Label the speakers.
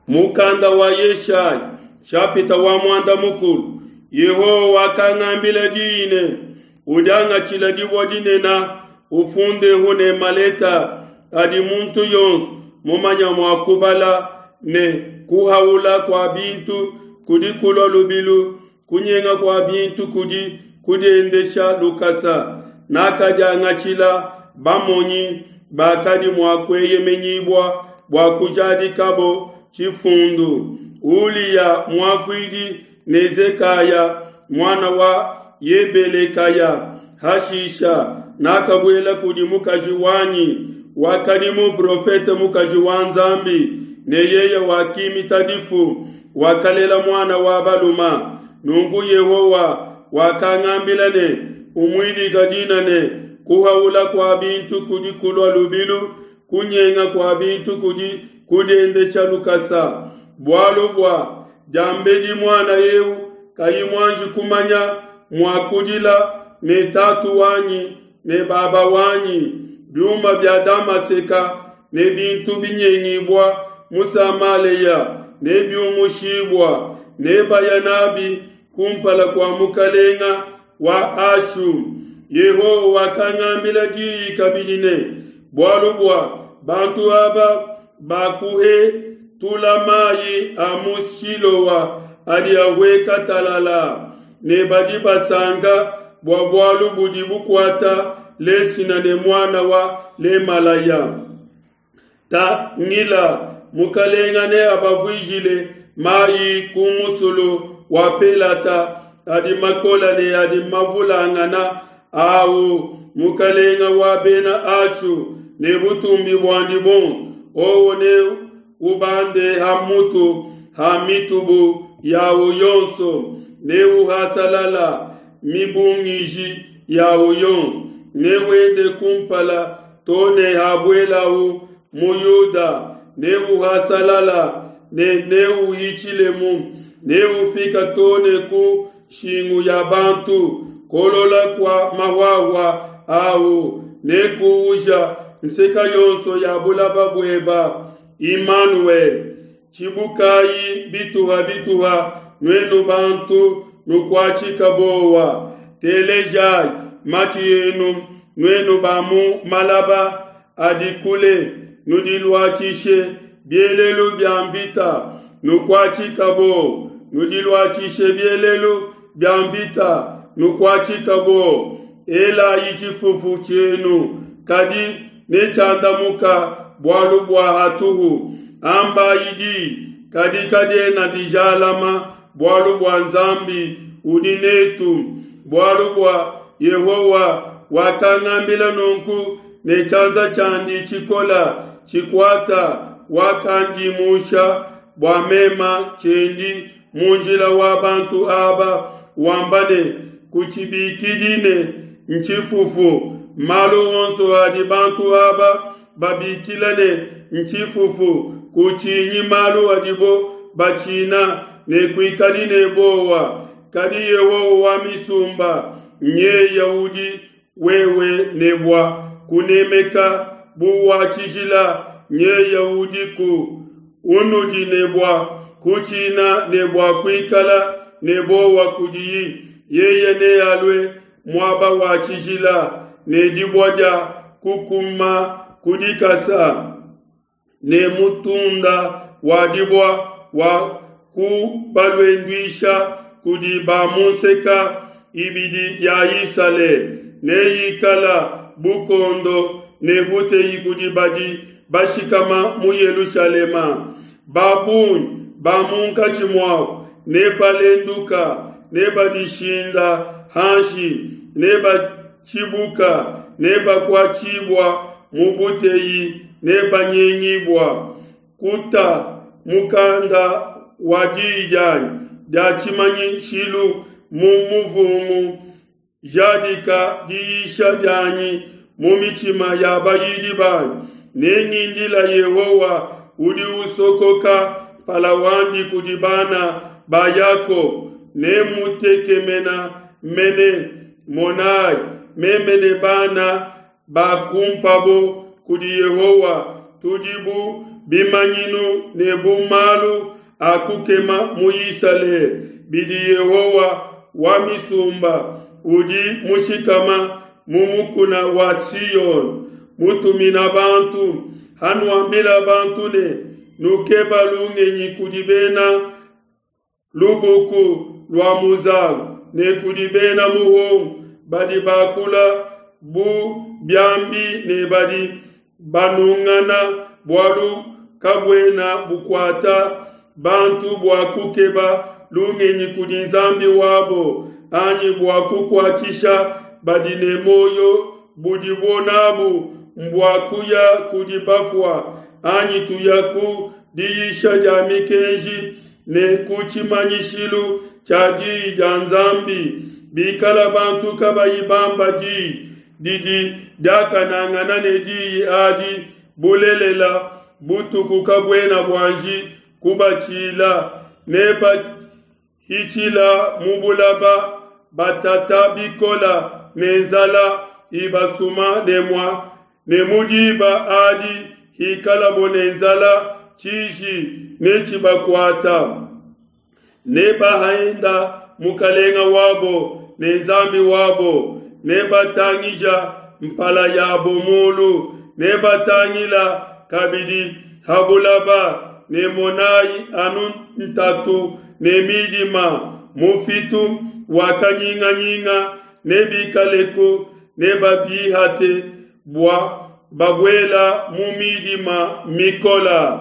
Speaker 1: Mukanda wa Yeshaya nshapita wa muanda mukulu Yehowa wakangambila diyi ne, Udiangatshila dibue dinene, ufundehu ne maleta adi muntu yonso mumanya mua kubala ne kuhaula kua bintu kudi kulua lubilu, kunyenga kua bintu kudi kudiendesha lukasa. Nakadiangatshila bamonyi bakadi mua kueyemenyibua bua kujadikabo tshifundu, Uliya muakuidi ne Zekaya muana wa Yebelekaya. Hashisha nakabuela kudi mukaji wanyi wakadi muprofete mukaji wa Nzambi, ne yeye wakimita difu, wakalela muana wa baluma. Nunku Yehowa wakangambila ne, Umuidika dina ne, Kuhaula kua bintu kudi kulua lubilu, kunyenga kua bintu kudi kudiendesha lukasa. Bualu bua diambedi muana eu kayi muanji kumanya mua kudila ne tatu wanyi ne baba wanyi, biuma bia Damaseka ne bintu binyengibua mu Samalea nebiumushibua, nebaya nabi kumpala kua mukalenga wa Ashu. Yehowa wakangambila diyi kabidi ne, Bualu bua bantu aba bakuhetula mayi a mu Shiloa adi ahueka talala, ne badi basanka bua bualu budi bukuata Lesina ne muana wa Lemalaya. Tangila, mukalenga neabavuijile mayi ku musulu wa Pelata adi makola ne adi mavulangana awu mukalenga wa bena Ashu ne butumbi buandi buonso, owo ne ubande ha mutu ha mitubu yawu yonso, ne uhasalala mibungiji yawu yonso, ne wende kumpala to ne habuelawu mu Yuda, ne uhasalala ne neuhitshilemu, neufika to ne ku nshingu ya bantu. Kolola kua mahuahua au nekuuja nseka yonso ya bulaba bueba. Imanuele, tshibukayi bituha bituha, nuenu bantu nukuatshika bowa. Telejayi matshi enu, nuenu ba mu malaba adi kule, nudiluatshishe bielelu bia mvita, nukuatshika bowa. Nudiluatshishe bielelu bia mvita, nukuatshika bowa. Elayi tshifufu tshienu, kadi netshiandamuka bualu bua hatuhu. Ambayi diyi, kadi kadiena dijalama, bualu bua Nzambi udi netu. Bualu bua Yehowa wakangambila nunku ne tshianza tshiandi tshikola tshikuata, wakandimusha bua mema tshiendi mu njila wa bantu aba, wamba ne, Kutshibikidi ne ntshifufu. Malu onso adi bantu aba babikila ne ntshifufu, kutshinyi malu adibo batshina, ne kuikadi ne buowa. Kadi Yehowa wa misumba nyeye udi wewe ne bua kunemeka bu wa tshijila, nyeye udiku unudi ne bua kutshina ne bua kuikala ne buowa kudiyi. Yeye nealue muaba wa tshijila ne dibue dia kukuma ku dikasa ne mutunda wa dibua wa kubaluenduisha kudi ba mu nseka ibidi ya Isalele, neyikala bukondo ne buteyi kudi badi bashikama mu Yelushalema. Ba bungi ba munkatshi muabu nebalenduka, nebadishinda hanshi, nebatshibuka, nebakuatshibua mu buteyi, nebanyengibua. Kuta mukanda wa diyi dianyi dia tshimanyishilu mu muvungu, jadika diyisha dianyi mu mitshima ya bayidi banyi. Nengindila Yehowa udi usokoka mpala wandi kudi bana ba Yakoba, nemutekemena mene. Monai, meme ne bana bakumpabo kudi Yehowa tudi bu bimanyinu ne bu malu a kukema mu Isalele, bidi Yehowa wa misumba, udi mushikama mu mukuna wa Siona, mutumina bantu. Hanuambila bantu ne, Nukeba lungenyi kudi bena lubuku lua muzalu ne kudi bena muhongo badi bakula bu biambi ne badi banungana, bualu kabuena bukuata bantu bua kukeba lungenyi kudi Nzambi wabo, anyi bua kukuatshisha badi ne muoyo budibo nabu mbua kuya kudi bafua, anyi tuya ku diyisha dia mikenji ne ku tshimanyishilu tshia diyi dia Nzambi. Bikala bantu kabayi bamba diyi didi diakanangana ne diyi adi, bulelela, butuku kabuena buanji kubatshila, ne bahitshila mu bulaba batata bikola ne nzala ibasuma ne mua ne mu diba adi hikalabo ne nzala tshiji netshibakuata. Nebahenda mukalenga wabo ne Nzambi wabo, nebatangija mpala yabo mulu, nebatangila kabidi ha bulaba, ne monayi anu ntatu ne midima, mufitu wa kanyinganyinga nebikaleku, nebabihate bua babuela mu midima mikola.